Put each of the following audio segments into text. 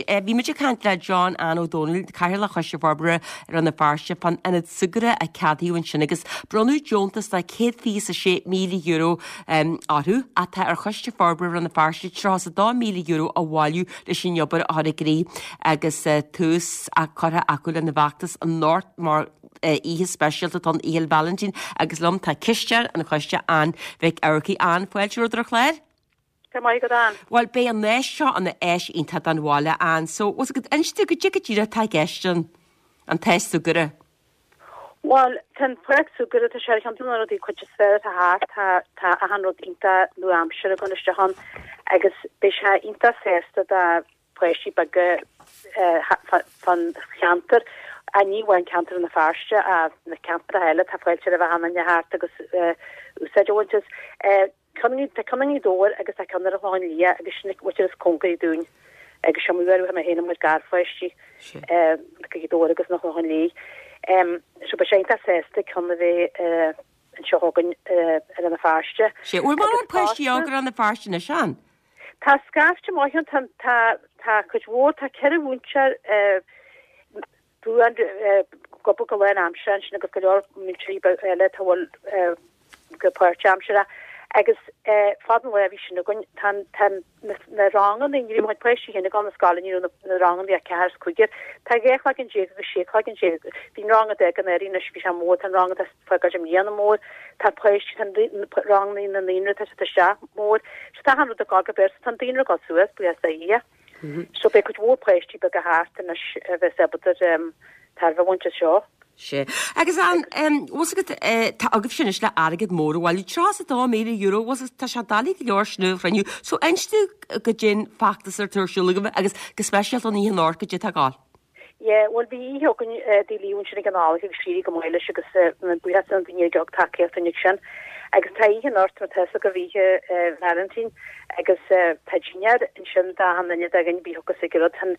Anois, bhí muid ag caint le John Ann Ó Dónaill, Cathaoirleach Choiste Forbartha Rann na Feirste, fán ionad súgartha a ceadaíodh ansin agus bronnadh deontas de €126,000 orthu ach tá ar Choiste Forbartha Rann na Feirste €32,000 a bhailiú leis an obair a chur i gcrích agus tús curtha acu lena bhfeachtas anocht mar oíche speisialta don Oíche Vailintín agus liom tá cisteoir an choiste Ann Mhic Eachmharcaigh. Ann, fáilte romhat ar an chlár. Go raibh maith agat Ann. Bhuel beidh an áis seo ina áis iontach don bhaile Ann so bhfuil 's agat inis dúinn goidé go díreach atá i gceist an an t-áis súgartha. Bhuel tá an pháirc súgartha tá sé ar cheann de na rudaí cuid is fearr atá thart tá tá achan rud iontach nua-aimseartha ag dul isteach ann agus beidh sé iontach sásta do pháistí beaga fán cheantar, ní amháin ceantar Rann na Feirste ach na ceantracha eile, tá fáilte roimh achan duine theacht agus úsáid a bhaint as. Ceann tá ceann i nGaoth Dobhair agus tá ceann ar an Chlochán Liath agus sin an mhuintir is cóngaraí dúinn agus seo mar mé féin mo chuid garpháistí Gaoth Dobhair agus an Chlochán Liath. So beidh sé iontach sásta ceann a bheith anseo againn i Rann na Feirste. Sea, bhfuil mórán páistí óga i Rann na Feirste anois Ann? Tá scaifte maith ann, tá, tá, tá cuid mhór, tá 4 mhúinteoir buan ag obair go lán-aimseartha ansin agus go leor múinteoirí eile atá bhfuil go páirtaimseartha agus fad an lá bhí sin againn, tá, tá na ranganna, ní raibh mo chuid páistí féin ag dul na scoile, ní raibh na ranganna, bhí ach ceathair is cúigear, tá 12 cloigeann agus 16 cloigeann, bhí an rang a d'fhág an Earraigh anois, bhí sé mór, tá an rang atá fágáil i mbliana mór, tá páistí, tá ranganna na naíonra, tá siad isteach mór, so tá achan rud ag dul go berth, tá an daonra ag dul suas, buíochas do Dhia. So beidh cuid mhór páistí beaga thart anois a bheas ábalta tairbhe a bhaint as seo. Sea. Agus an, bhfuil 's agat, tá agaibhse anois le airgead mór a bhailiú, €32,000, bhfuil 's agat, tá sé doiligh go leor sin a chruinniú. So inis dúinn goidé an feachtas atá ar siúl agaibh agus go speisialta an oíche anocht goidé atá ag gabháil. Yeah, bhuel bhí oíche againn Dé Luain ansin ag an Fhailche agus d'éirigh go maith leis agus buíochas do na daoine a thug tacaíocht dúinn ag sin. Agus tá oíche anocht mar tá 'fhios agaibh oíche Vailintín agus tá dinnéar ansin d'achan duine de dhaoine a thiocfas ag an rud. Tá an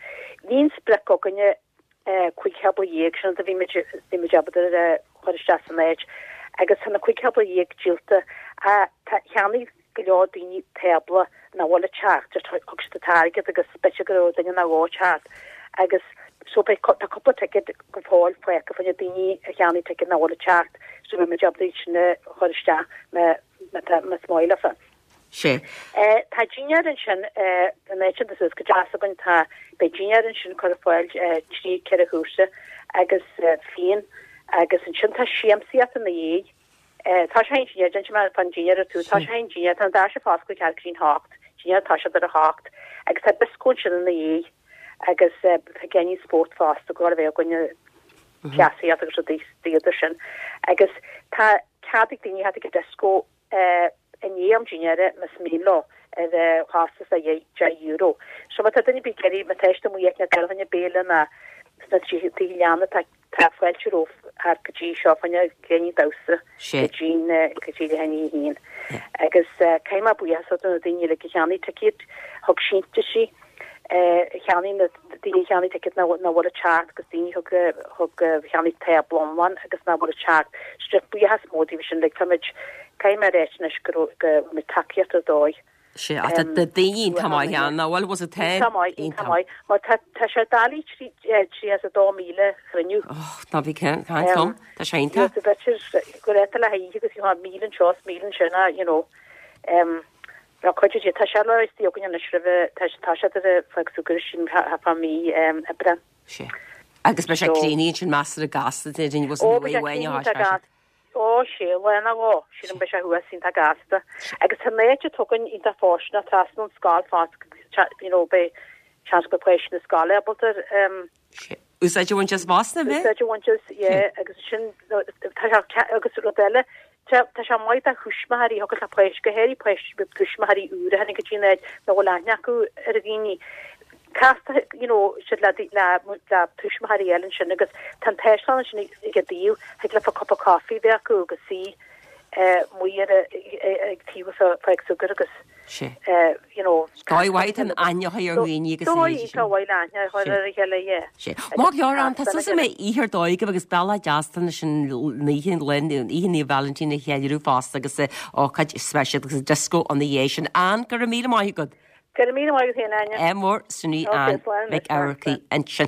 bhí an sprioc againne 15 thábla sin a bhí muid bhí muid ábalta a chur isteach san áit agus tá na 15 thábla díolta. Tá cheannaigh go leor daoine tábla nach bhfuil ag teacht, just thug siad an t-airgead agus b'fhéidir go raibh duine nó dhó ag teacht agus so beidh tá cúpla ticéad go fóill fágtha fá choinne daoine a cheannaigh ticéad nach bhfuil ag teacht so beidh muid ábalta iad sin a chur isteach má má tá más maith leofa. Sea. Eh tá dinnéar ansin eh an áit sin suas go deas againn tá beidh dinnéar ansin curtha ar fáil eh 3 4 chúrsa agus eh fíon agus ansin tá siamsaíocht ina dhiaidh Tá sé an dinnéar, déanfaidh mé fán dinnéar ar tús, tá sé an dinnéar, tá na doirse ag oscailt ceathrú go dtí an hocht, dinnéar tá siad ar a hocht agus tá dioscó ansin ina dhiaidh agus tá géinín spórt fosta go bhfuil a bheith againn cleasaíocht agus rudaí idir sin agus tá cead ag daoine theacht ag an dioscó i ndiaidh am dinnéara más mian leo ar chostas de €10. So má tá duine ar bith ag iarraidh, má tá siad amuigh ag dul chun béile ná sna tithe leanna tá Tá fáilte rompu thart go dtí seo fá choinne gloiní damhsa go dtí go dtí leath i ndiaidh a haon. Agus caithfidh mé buíochas a thabhairt do na daoine uilig a cheannaigh ticéad, thug síntiúisí, cheannaigh na daoine a cheannaigh ticéad nach bhfuil ag teacht agus daoine thug thug cheannaigh tábla iomlán agus nach bhfuil ag teacht. So buíochas mór daoibh sin uilig. Táimid, caithfidh mé a ráit anois go raibh go raibh muid tacaíocht ar dóigh. Sea, ach tá daoine iontach maith ann, nach bhfuil, was it ten? Iontach maith, iontach maith. Mar tá tá sé doiligh 32,000 a chruinniú. Och, ná bí caint liom, tá sé iontach. So b'fhéidir go raibh le haghaidh oíche agus you 1,000 anseo is 1,000 ansin, ah, you know. Um, Ná cuid de, tá sé le istigh againn anois roimhe, tá tá sé de fág súgar sin fá mí Aibreán. Sea. Agus beidh sé críochnaithe ansin measartha gasta, déarfainn, was Ó, beidh sé críochnaithe gasta. Ó, sea, lá nó dhó, sílim beidh sé thuas iontach gasta. Agus tá an áit atá againn iontach fóirsteanach trasna ón scoil fosta, you know, beidh seans go mbeidh páistí na scoile ábalta um, Sea. Úsáid a bhaint as fosta, an bheidh? Úsáid a bhaint as, yeah, agus sin, tá sé, agus rud eile, tá tá sé maith do thuismitheoirí, a thiocfas le páistí, go háirithe páistí, tuismitheoirí úra a tháinig go dtí an áit nach bhfuil aithne acu ar dhaoine. Castar, you know, siad le, le, le tuismitheoirí eile ansin agus tá an t-áislann ansin ag an dtaobh, thig leofa cupa coffee a bheith acu agus suí amuigh ar ag taobh an pháirc súgartha agus you know. Dóigh mhaith an aithne a chur ar dhaoine agus a leithéidí sin. Dóigh mhaith le aithne a chur ar a chéile, yeah. Sea. Maith go leor Ann, tá súil agam go mbeidh oíche ar dóigh agaibh agus bealach deas leis an oíche, oíche Naomh Vailintín a cheiliúradh fosta agus ócáid speisialta agus disco ina dhiaidh sin. Ann, go raibh míle maith agat. Go raibh míle maith agat féin, Áine. Ádh mór, sin í Ann Mhic Eachmharcaigh ansin.